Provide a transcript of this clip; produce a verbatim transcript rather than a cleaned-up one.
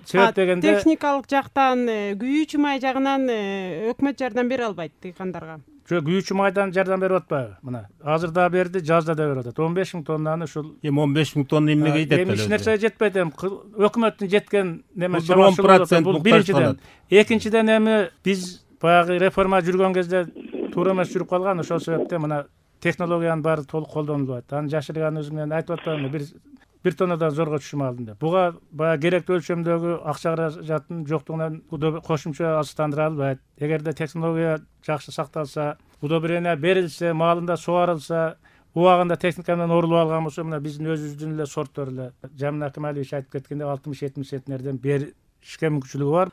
себеп дегенде техникалык жактан, күйүүчү май жагынан өкмөт жардам бере албайт дыйкандарга. Жок, күйүүчү майдан жардам берип атпайбы? Мына азыр да берди, жазда да берип атат. он беш миң тоннаны ушул эми он беш миң тонна эмнеге жетет? Эми эч нерсеге жетпейт. Эми өкмөттүн жеткен неме бул он процент бул биринчиден. Экинчиден эми биз баягы реформа жүргөн кезде туура эмес жүрүп калган, ошол себептен мына технологиянын баары толук колдонулуп атат. Анын жашырган өзү менен айтып атпаймынбы, бир бир тоннадан зорго түшүм алдым деп. Буга баягы керектүү өлчөмдөгү акча каражаттын жоктугунан кошумча азыктандыра албайт. Эгерде технология жакшы сакталса, удобрение берилсе, маалында сугарылса, убагында техника менен орулуп алган болсо, мына биздин өзүбүздүн эле сорттору эле Жамин Акималиевич айтып кеткендей алтымыш жетимиш центнерден беришке мүмкүнчүлүгү бар.